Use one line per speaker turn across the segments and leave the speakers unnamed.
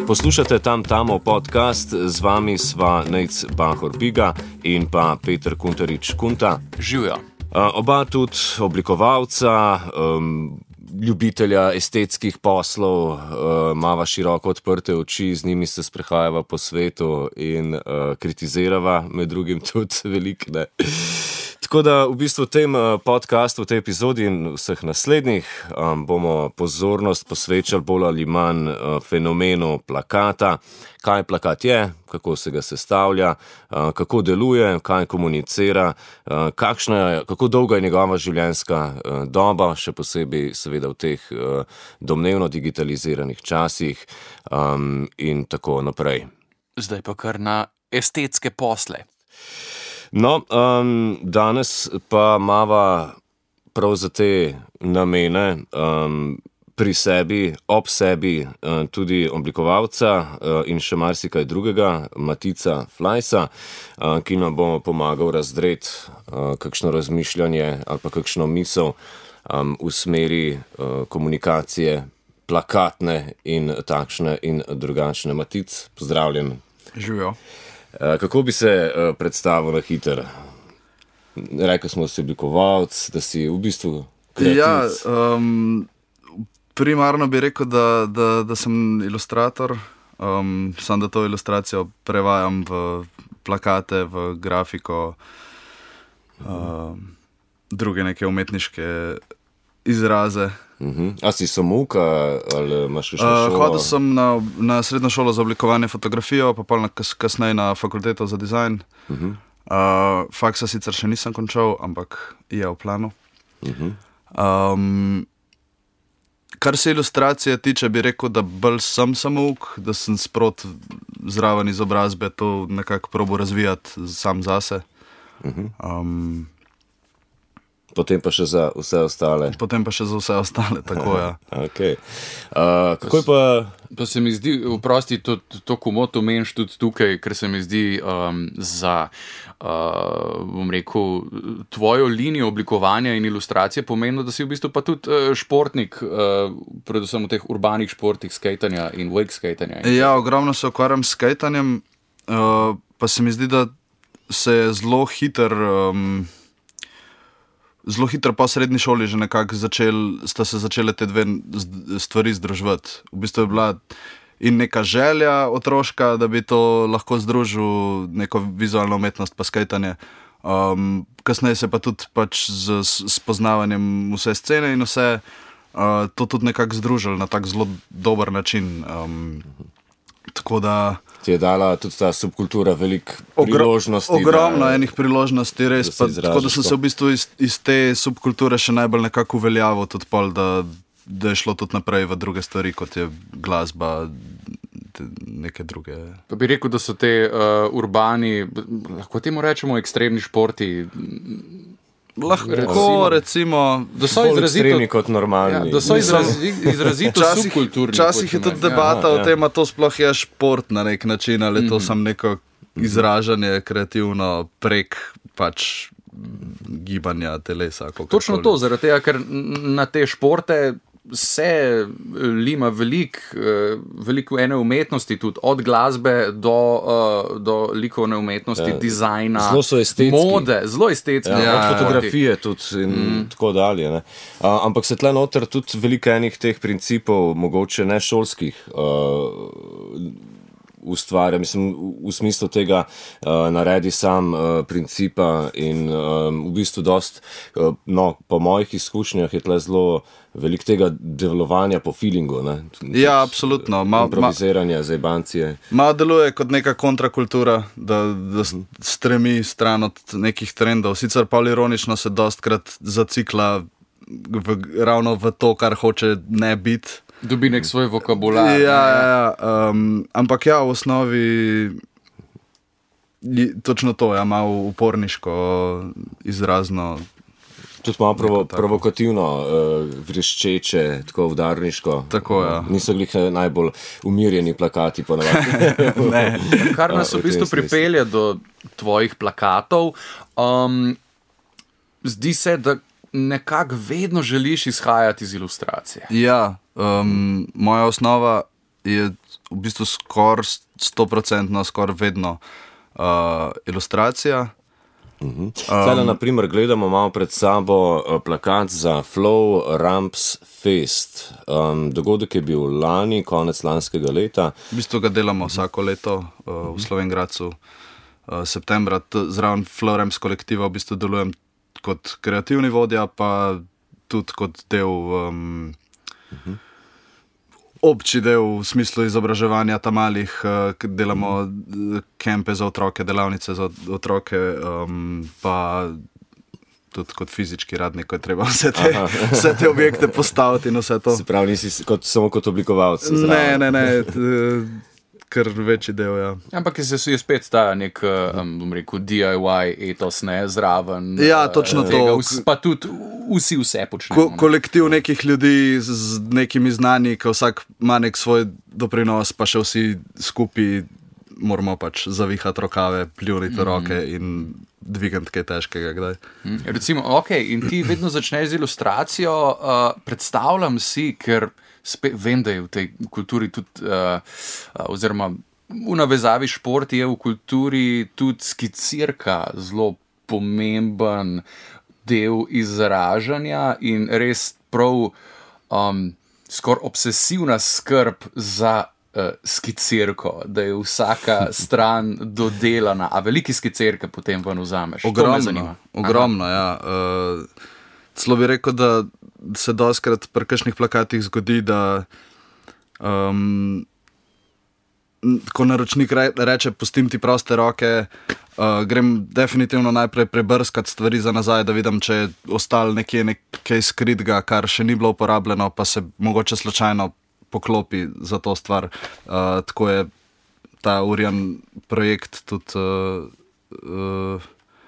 Poslušate Tamo podcast, z vami sva Nejc Bahor-Biga in pa Peter Kuntarič-Kunta.
Živijo.
Oba tudi oblikovalca, ljubitelja estetskih poslov, mava široko odprte oči, z njimi se sprehajava po svetu in kritizirava, med drugim tudi veliko, ne. Tako da v bistvu v tem podcastu, v tej epizodi in vseh naslednjih bomo pozornost posvečali bolj ali manj fenomenu plakata. Kaj plakat je, kako se ga sestavlja, kako deluje, kaj komunicira, kako dolga je njegova življenjska doba, še posebej seveda v teh domnevno digitaliziranih časih in tako naprej.
Zdaj pa kar na estetske posle.
No, danes pa mava prav za te namene pri sebi, ob sebi tudi oblikovalca in še marsikaj drugega, Matica Flajsa, ki nam bo pomagal razdreti kakšno razmišljanje ali pa kakšno misel v smeri komunikacije plakatne in takšne in drugačne. Matic, pozdravljen.
Živijo.
Kako bi se predstavil na hiter? Rekel smo, da si oblikovalec, da si v bistvu kreativc.
Ja, primarno bi rekel, da sem ilustrator, samo da to ilustracijo prevajam v plakate, v grafiko, druge neke umetniške izraze.
A si samouk ali imaš še šolo?
Hodil sem na srednjo šolo za oblikovanje fotografijo, pa pol kasneje na fakulteto za dizajn. Faksa sicer še nisem končal, ampak je v planu. Kar se ilustracije tiče, bi rekel, da bolj sem samouk, da sem sprot zraven izobrazbe to nekako probo razvijati sam zase.
Potem pa še za vse ostale.
Tako ja.
Okay. Kako je pa...
Pa se mi zdi, vprosti, to komot omeniš tudi tukaj, ker se mi zdi za, bom rekel, tvojo linijo oblikovanja in ilustracije pomembno, da si v bistvu pa tudi športnik, predvsem v teh urbanih športih, skejtanja in wake skejtanja.
Ja, ogromno se ukvarjam s skejtanjem, pa se mi zdi, da se je zelo hitro po srednji šoli že nekako sta se začele te dve stvari združevati. V bistvu je bila in neka želja otroška, da bi to lahko združil, neko vizualno umetnost pa skejtanje. Kasneje se pa tudi pač z spoznavanjem vse scene in vse to tudi nekako združili na tak zelo dober način. Tako da...
Ti je dala tudi ta subkultura veliko priložnosti.
Ogromno enih priložnosti, res. Tako da sem se v bistvu iz te subkulture še najbolj nekako uveljavil tudi pol, da je šlo tudi naprej v druge stvari, kot je glasba, neke druge.
Pa bi rekel, da so te urbani, lahko temu rečemo ekstremni športi,
lahko recimo,
da so
bolj ekstremni kot normalni.
Ja, da so izrazito subkulturni.
Včasih je tudi debata o tem, a to sploh je šport na nek način, ali to samo neko izražanje kreativno prek pač gibanja telesa.
Točno to, zaradi tega, ker na te športe se lima veliko ene umetnosti, tudi od glasbe do likovne umetnosti, dizajna,
zelo so estetski.
Mode, zelo estetski.
Ja, od fotografije tudi in tako dalje. Ne. Ampak se tle noter tudi veliko enih teh principov, mogoče ne šolskih, ustvarja, mislim, v smislu tega naredi sam principa in v bistvu dost, po mojih izkušnjah je tle zelo veliko tega delovanja po feelingu, ne?
Ja, absolutno.
Improviziranje, zajbancije.
Malo deluje kot neka kontrakultura, da stremi stran od nekih trendov. Sicer pa ironično se dostkrat zacikla ravno v to, kar hoče ne biti.
Dobi nek svoj vokabular.
Ja. Ampak ja, v osnovi točno to, ja, malo uporniško, izrazno.
Tudi malo provokativno, vreščeče, tako udarniško.
Tako, ja.
Niso glih najbolj umirjeni plakati ponavadi.
Ne.
Kar nas v bistvu pripelje do tvojih plakatov. Zdi se, da nekako vedno želiš izhajati iz ilustracije.
Ja, moja osnova je v bistvu skoraj 100%, skoraj vedno ilustracija.
Zdaj, na primer, gledamo malo pred sabo plakat za Flow Ramps Fest. Dogodek je bil lani, konec lanskega leta.
V bistvu ga delamo vsako leto v Slovenj Gradcu septembra. Zraven Flow Ramps kolektiva v bistvu delujem kot kreativni vodja, pa tudi kot del obči del v smislu izobraževanja tam malih, delamo kempe za otroke, delavnice za otroke, pa tudi kot fizički radnik, ko je treba vse te objekte postaviti in vse to.
Se pravi, nisi samo kot oblikovalec?
Ne, kar večji del, ja.
Ampak je spet ta nek, bom rekel, DIY etos, ne, zraven.
Ja, točno to.
Pa tudi vse počnemo.
Kolektiv nekih ljudi z nekimi znanji, ki vsak ima nek svoj doprinos, pa še vsi skupaj moramo pač zavihati rokave, pljuniti roke in dvigati kaj težkega kdaj.
Recimo, in ti vedno začneš z ilustracijo, predstavljam si, ker vem, da je v tej kulturi tudi, oziroma v navezavi šport je v kulturi tudi skicirka zelo pomemben del izražanja in res prav skoraj obsesivna skrb za skicirko, da je vsaka stran dodelana, a veliki skicirke potem ven vzameš.
Ogromno, ja. Celo bi rekel, da se dostikrat pri kakšnih plakatih zgodi, da ko naročnik reče, pustim ti proste roke, grem definitivno najprej prebrskati stvari za nazaj, da vidim, če je ostalo nekaj skritega, kar še ni bilo uporabljeno, pa se mogoče slučajno poklopi za to stvar. Tako je ta Urian projekt tudi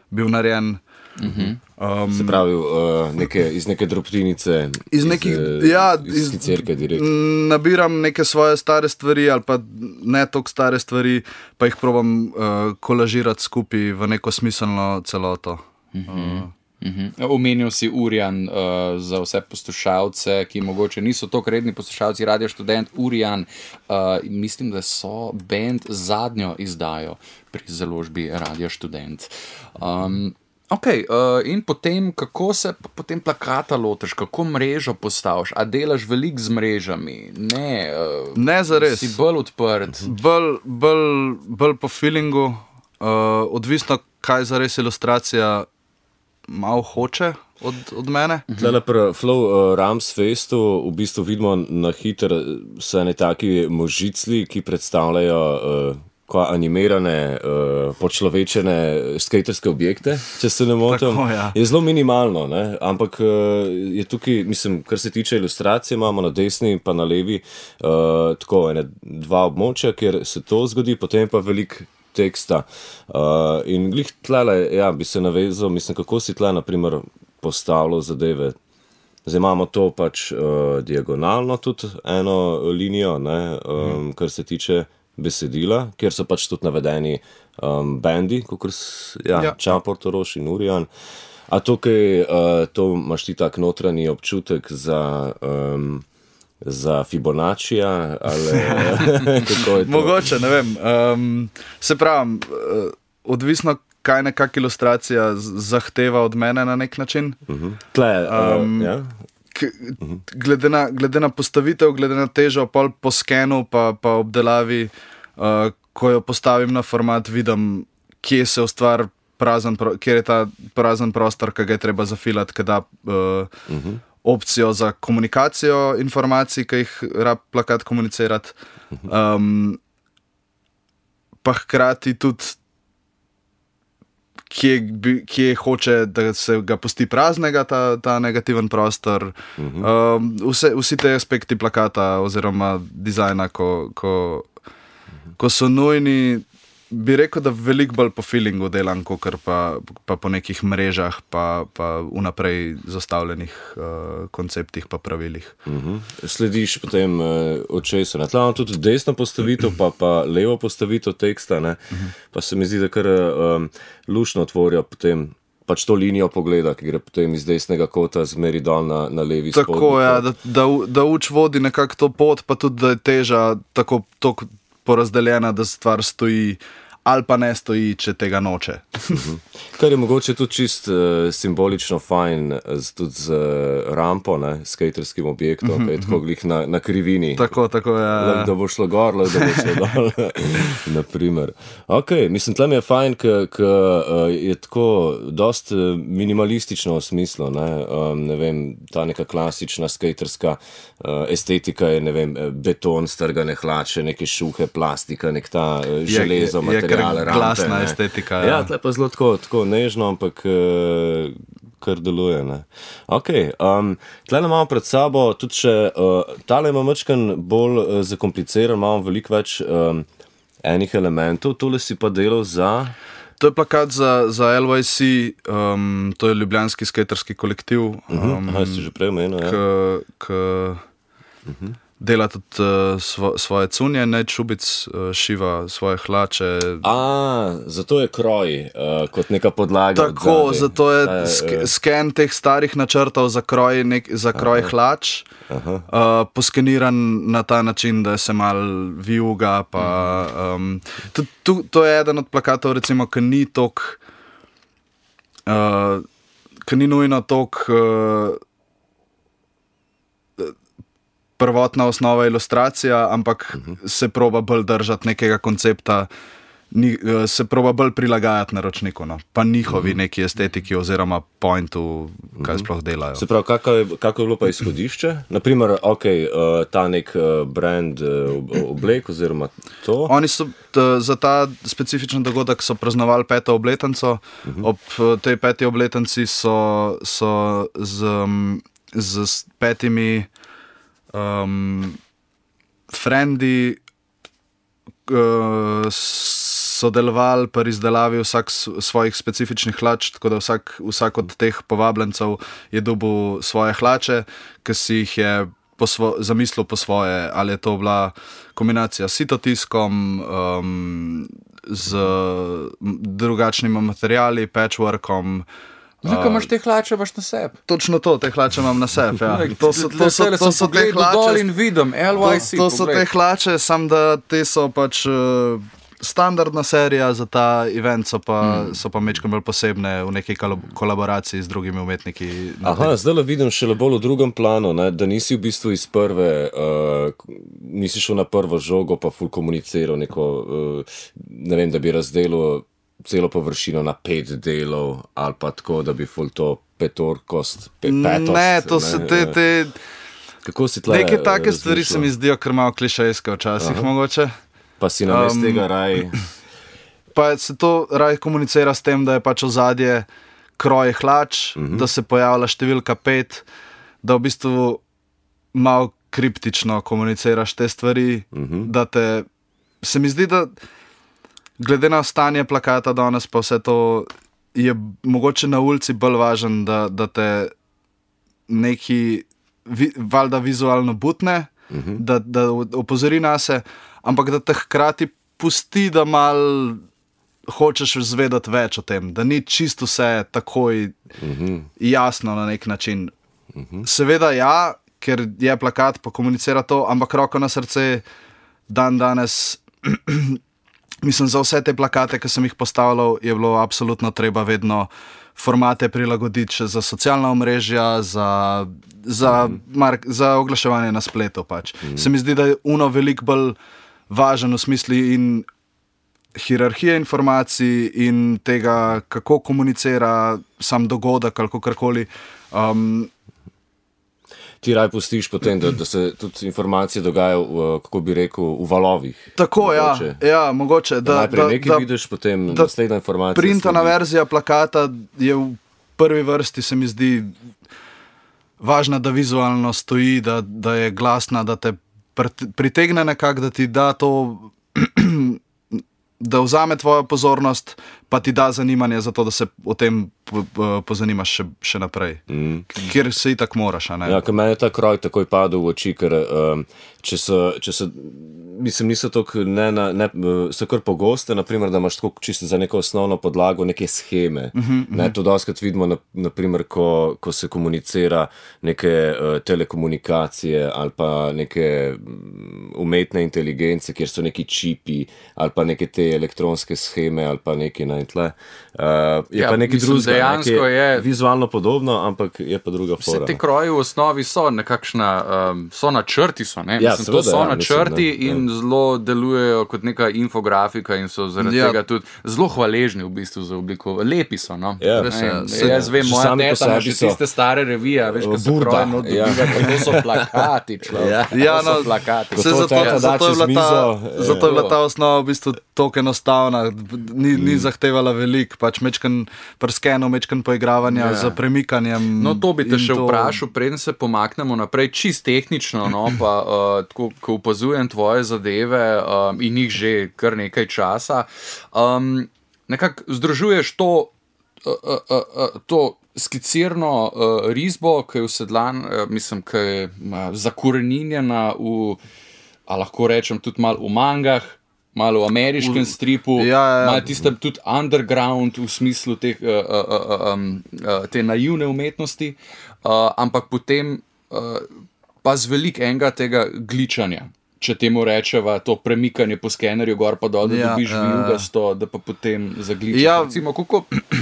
bil narejen.
Se pravi, iz neke drobtinice, iz skicirke direktno.
Nabiram neke svoje stare stvari ali pa ne toliko stare stvari, pa jih probam kolažirati skupaj v neko smiselno celoto.
Omenil si Urian za vse poslušalce, ki mogoče niso toliko redni poslušalci Radio Študent. Urian, mislim, da so band zadnjo izdajo pri založbi Radio Študent. In potem, kako se potem plakata lotiš, kako mrežo postaviš, a delaš veliko z mrežami?
Ne zares.
Si bolj odprt?
Bolj po feelingu, odvisno, kaj zares ilustracija malo hoče od mene.
Tlele pri Flow Ramps Festu v bistvu vidimo na hiter vse ne taki možicli, ki predstavljajo animirane, počlovečene skaterske objekte, če se ne motim.
Tako, ja.
Je zelo minimalno, ne? Ampak je tukaj, mislim, kar se tiče ilustracije, imamo na desni pa na levi tako dva območja, kjer se to zgodi, potem pa veliko teksta. In glih tlele, ja, bi se navezal, mislim, kako si tle, na primer, postavljal zadeve. Zdaj imamo to pač diagonalno tudi eno linijo, ne, kar se tiče besedila, kjer so pač tudi navedeni bendi, kot Čapor, Toroš in Urian. A tukaj to imaš ti tak notranji občutek za Fibonaccija, ali kako je to?
Mogoče, ne vem. Se pravim, odvisno, kaj nekak ilustracija zahteva od mene na nek način.
Tle, ja.
Glede na postavitev, glede na težo, pol po skenu pa obdelavi, ko jo postavim na format, vidim, kje se ustvar kjer je ta prazen prostor, ki ga je treba zafilati, ki da opcijo za komunikacijo informacij, ki jih rab plakat komunicirati. Pa hkrati tudi kje hoče, da se ga pusti praznega, ta negativen prostor. Vsi te aspekti plakata oziroma dizajna, ko so nujni, bi rekel, da veliko bolj po feelingu delam, kakor pa po nekih mrežah, pa vnaprej zastavljenih konceptih pa pravilih.
Slediš potem očesu. Na tlanu tudi desno postavitev, pa levo postavitev teksta, ne? Pa se mi zdi, da kar lušno tvorijo potem pač to linijo pogleda, ki gre potem iz desnega kota zmeri dol na levi spodnji.
Tako je, da uč vodi nekako to pot, pa tudi, da je teža tako porazdeljena, da stvar stoji ali pa ne stoji, če tega noče.
Kar je mogoče tudi čist simbolično fajn, tudi z rampo, skaterskim objektom, ki je tako glih na krivini.
Tako, ja.
Da bo šlo gor, da bo šlo dol, naprimer. Ok, mislim, tle mi je fajn, ker je tako dost minimalistično v smislu, ne vem, ta neka klasična skaterska estetika je, ne vem, beton, strgane hlače, neke šuhe, plastika, nek ta železo, material.
Glasna estetika.
Ja, tle pa zelo tako nežno, ampak kar deluje. Ok, tle imamo pred sabo tudi še, tale ima mačkan bolj zakompliciran, imamo veliko več enih elementov, tole si pa delal za...
To je plakat za LYC, to je ljubljanski skaterski kolektiv.
Si že prej omenil, ja.
Dela tudi svoje cunje, Čubic šiva svoje hlače.
Zato je kroj kot neka podlaga.
Tako, zato je sken teh starih načrtov za kroj hlač, poskeniran na ta način, da se mal vijuga. To je eden od plakatov, recimo, ki ni tok, ki ni nujno tok prvotna osnova ilustracija, ampak se proba bolj držati nekega koncepta, se proba bolj prilagajati naročniku, pa njihovi neki estetiki oziroma pointu, kaj sploh delajo.
Se pravi, kako je bilo pa izhodišče? Naprimer, ta nek brand oblek oziroma to?
Oni so za ta specifičen dogodek so praznovali 5. obletnico. Ob tej 5. obletnici so z 5 frendi sodelovali pri izdelavi vsak svojih specifičnih hlač, tako da vsak od teh povabljencev je dobil svoje hlače, ki si jih je zamislil po svoje, ali je to bila kombinacija s sitotiskom, z drugačnimi materiali, patchworkom.
Zakaj imaš te hlače, baš na sebi?
Točno to, te hlače imam na sebi, ja. To so te hlače.
Dol in vidim, LYC.
To so te hlače, sam da te so pač standardna serija za ta event, so pa mečkam bolj posebne v neki kolaboraciji z drugimi umetniki.
Zdaj vidim šele bolj v drugem planu, da nisi v bistvu iz prve, nisi šel na prvo žogo, pa ful komuniciral neko, ne vem, da bi razdelil celo površino na 5 delov, ali pa tako, da bi ful to petorkost, petost.
Ne, to so te...
Kako si tle
neke take stvari se mi zdijo kar malo klišejske včasih, mogoče.
Pa si namest tega raj...
Pa se to raj komunicira s tem, da je pač ozadje kroj hlač, da se pojavlja številka 5, da v bistvu malo kriptično komuniciraš te stvari, da te... Se mi zdi, da glede na stanje plakata danes, pa vse to je mogoče na ulici bolj važen, da te neki valjda vizualno butne, da opozori nase, ampak da te hkrati pusti, da mal hočeš zvedeti več o tem, da ni čisto vse takoj jasno na nek način. Seveda ja, ker je plakat, pa komunicira to, ampak roko na srce danes... Mislim, za vse te plakate, ki sem jih postavljal, je bilo absolutno treba vedno formate prilagoditi še za socialna omrežja, za oglaševanje na spletu pač. Se mi zdi, da je veliko bolj važen v smislu in hierarhije informacij in tega, kako komunicira sam dogodek ali kakorkoli.
Ti raj pustiš potem, da se tudi informacije dogajajo, kako bi rekel, v valovih.
Tako, ja, mogoče.
Najprej nekaj vidiš, potem naslednja informacija.
Printana verzija plakata je v prvi vrsti, se mi zdi, važna, da vizualno stoji, da je glasna, da te pritegne nekako, da ti da to, da vzame tvojo pozornost, pa ti da zanimanje za to, da se o tem pozanimaš še naprej. Kjer se itak moraš, a ne?
Ja, ker meni je ta kroj takoj padel v oči, ker če so mislim, niso tako, so kar pogoste, naprimer, da imaš tako čisto za neko osnovno podlago neke sheme. To dostakrat vidimo, naprimer, ko se komunicira neke telekomunikacije ali pa neke umetne inteligence, kjer so neki čipi ali pa neke te elektronske sheme ali pa neki tle. Je pa neki drugega, ki je vizualno podobno, ampak je pa druga fora.
Vse te kroji v osnovi so nekakšna, so načrti, ne?
Ja,
to so načrti in zelo delujejo kot neka infografika in so zaradi tega tudi zelo hvaležni v bistvu za obliko. Lepi so, no? Jaz vem, moja teta ima še tiste stare revije, veš, ko so kroji dobiva, to so plakati, človek. To so plakati.
Zato je bila ta osnova v bistvu toliko enostavna, ni zahtevala veliko, pač mečkan prskeno, mečkan poigravanja z premikanjem.
No, to bi te še vprašal, preden se pomaknemo naprej, čist tehnično, no, pa tako, ko opazujem tvoje zadeve in jih že kar nekaj časa, nekako združuješ to skicirno risbo, ki je usedlan, mislim, ki je zakoreninjena a lahko rečem tudi malo v mangah, malo v ameriškem stripu, malo tiste tudi underground v smislu te naivne umetnosti, ampak potem pa z veliko enega tega gličanja, če temu rečeva to premikanje po skenerju gor pa dol, da dobiš vijugasto, da pa potem zagličaš. Recimo,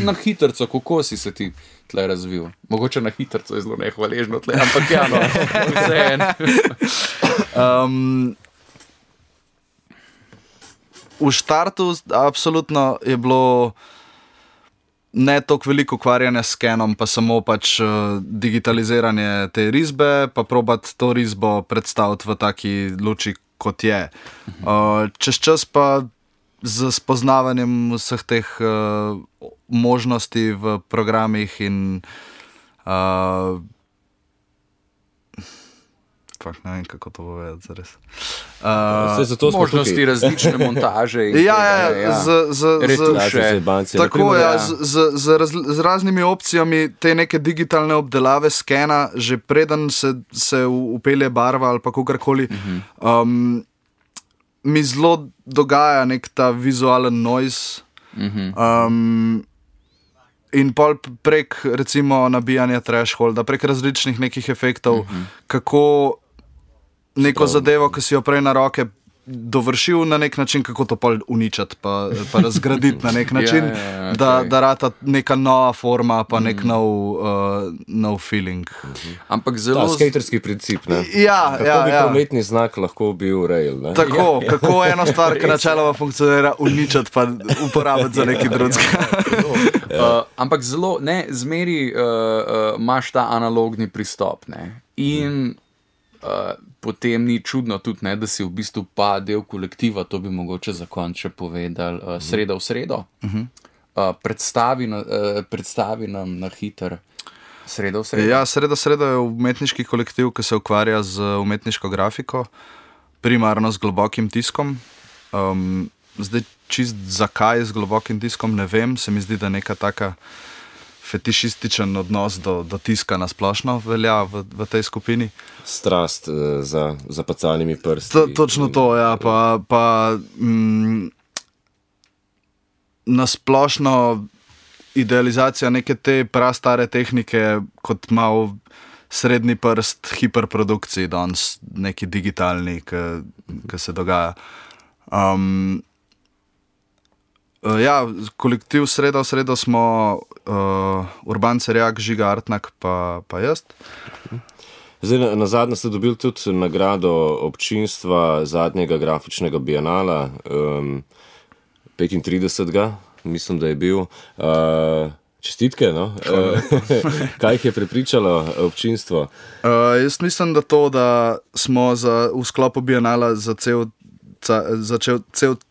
na hitrco, kako si se ti tle razvil? Mogoče na hitrco je zelo nehvaležno tle, ampak vseeno.
V štartu absolutno je bilo ne toliko veliko ukvarjanja s skenom, pa samo pač digitaliziranje te risbe, pa probati to risbo predstaviti v taki luči, kot je. Čez čas pa z spoznavanjem vseh teh možnosti v programih in ne vem, kako to povedati zares.
Možnosti različne montaže in
retuše. Tako, z raznimi opcijami te neke digitalne obdelave skena, že preden se upelje barva ali pa kakorkoli, mi zelo dogaja nek ta vizualen noise. In pol prek recimo nabijanja thresholda, prek različnih nekih efektov, kako neko zadevo, ki si jo prej na roke dovršil na nek način, kako to pol uničati, pa razgraditi na nek način, da rata neka nova forma, pa nek nov feeling.
Ampak zelo...
skaterski princip, ne?
Kako
bi prometni znak lahko bil rail, ne?
Tako, kako eno stvar, ki načeloma funkcionira, uničati pa uporabiti za nekaj drugega.
Ampak zelo, ne, zmeri imaš ta analogni pristop, ne? In potem ni čudno tudi, ne, da si v bistvu pa del kolektiva, to bi mogoče za konec še povedali, Sreda v sredo. Predstavi nam na hiter Sreda v sredo.
Ja, Sreda v sredo je umetniški kolektiv, ki se ukvarja z umetniško grafiko, primarno z globokim tiskom. Zdaj čist zakaj z globokim tiskom ne vem, se mi zdi, da neka taka fetišističen odnos do tiska na splošno velja v tej skupini.
Strast za zapacalnimi prsti.
Točno to, ja. Pa na splošno idealizacija neke te prastare tehnike kot malo srednji prst hiperprodukciji, danes neki digitalni, ki se dogaja. Kolektiv Sreda v sredo smo Urban Cerjak, Žiga Artnak pa jaz.
Zdaj, nazadnje ste dobili tudi nagrado občinstva zadnjega grafičnega bienala, 35. mislim, da je bil. Čestitke, no? Kaj jih je prepričalo občinstvo?
Jaz mislim, da to, da smo v sklopu bienala začel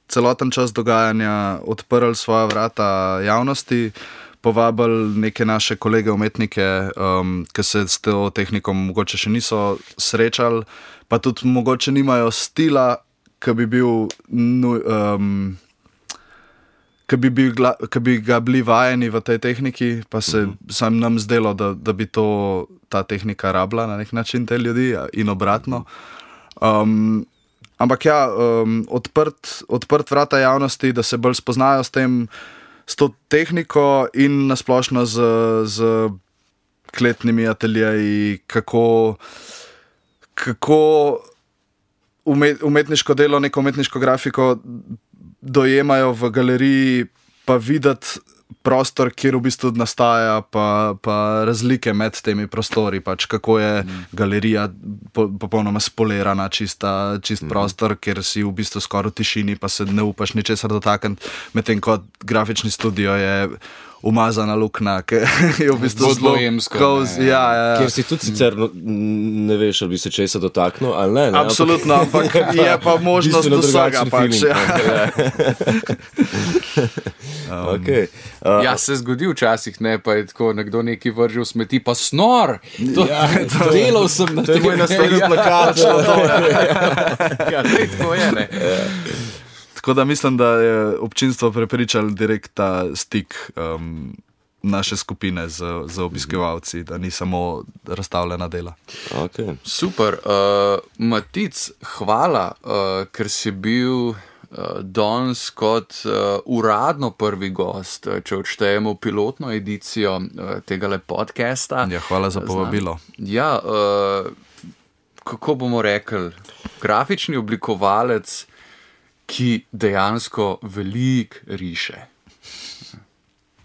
celoten čas dogajanja odprli svoja vrata javnosti, povabili neke naše kolege umetnike, ki se s to tehnikom mogoče še niso srečali, pa tudi mogoče nimajo stila, ki bi ga bili vajeni v tej tehniki, pa se sam nam zdelo, da bi ta tehnika rabila na nek način te ljudi in obratno. Ampak ja, odprt vrata javnosti, da se bolj spoznajo s to tehniko in nasplošno z kletnimi ateljeji, kako umetniško delo, neko umetniško grafiko dojemajo v galeriji, pa videti prostor, kjer v bistvu nastaja, pa razlike med temi prostori, pač kako je galerija popolnoma spolirana, čist prostor, kjer si v bistvu skoraj v tišini, pa se ne upaš ničesar dotakniti, medtem ko grafični studio je umazana luknja, ki je v bistvu zelo cozy.
Kjer si tudi sicer ne veš, ali bi se česa dotaknil, ali ne?
Absolutno, ampak je pa možnost vsega pač.
Okay.
Ja, se zgodi včasih, ne, pa je tako nekdo nekaj vržil smeti, pa snor! Delal sem na tem.
To je moj naslednji plakat.
Ja, tako je, ne.
Tako da mislim, da je občinstvo prepričalo direkt ta stik naše skupine z obiskovalci, da ni samo razstavljena dela.
Okay.
Super. Matic, hvala, ker si bil danes kot uradno prvi gost, če odštejemo pilotno edicijo tegale podcasta.
Ja, hvala za povabilo.
Ja, kako bomo rekli, grafični oblikovalec, ki dejansko veliko riše.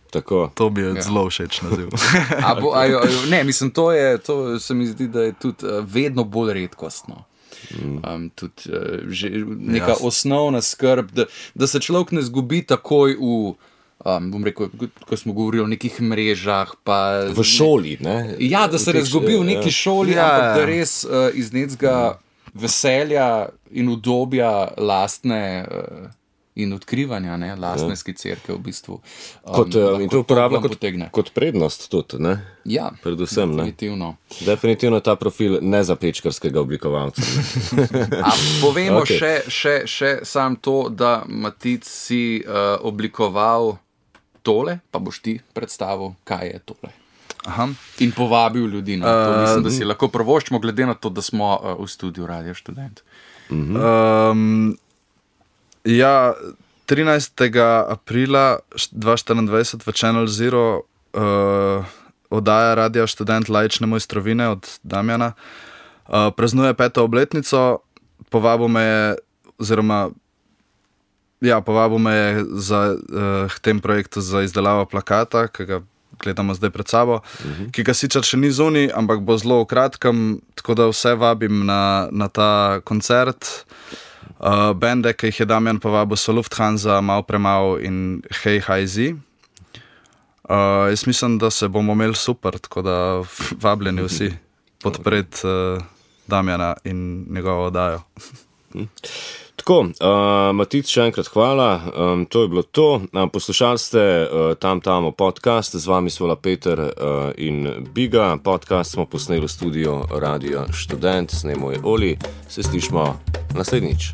Tako.
To bi je zelo všeč naziv.
Ne, mislim, to se mi zdi, da je tudi vedno bolj redkostno. Tudi že neka osnovna skrb, da se človek ne zgubi takoj v, bom rekel, ko smo govorili o nekih mrežah. Pa,
v šoli, ne?
Ja, da se ne zgubi v neki šoli, ampak da res iz nekega veselja in udobja lastne in odkrivanja, ne, lastne skicirke v bistvu.
In to uporablja kot prednost tudi, ne?
Ja,
predvsem,
definitivno.
Ne? Definitivno ta profil ne za pečkarskega oblikovalca.
Povemo še sam to, da Matic si oblikoval tole, pa boš ti predstavil, kaj je tole.
Aha.
In povabil ljudi na to. Mislim, da si lahko prvoščimo, glede na to, da smo v studiu Radio Študent.
Ja, 13. aprila 2024 v Channel Zero oddaja Radio Študent Laične mojstrovine od Damjana. Praznuje 5. obletnico, povabil me je k tem projektu za izdelavo plakata, ki ga gledamo zdaj pred sabo, ki ga sicer še ni zunaj, ampak bo zelo v kratkem, tako da vse vabim na ta koncert. Bende, ki jih je Damjan povabil, so Lufthansa, Mal Premal in Hey Hi Z. Jaz mislim, da se bomo imeli super, tako da vabljeni vsi podpreti Damjana in njegovo oddajo.
Tako, Matic, še enkrat hvala, to je bilo to. Poslušali ste Tam podcast, z vami sva Peter in Biga. Podcast smo posneli v studiu Radio Študent, snemo je Oli, se slišmo naslednjič.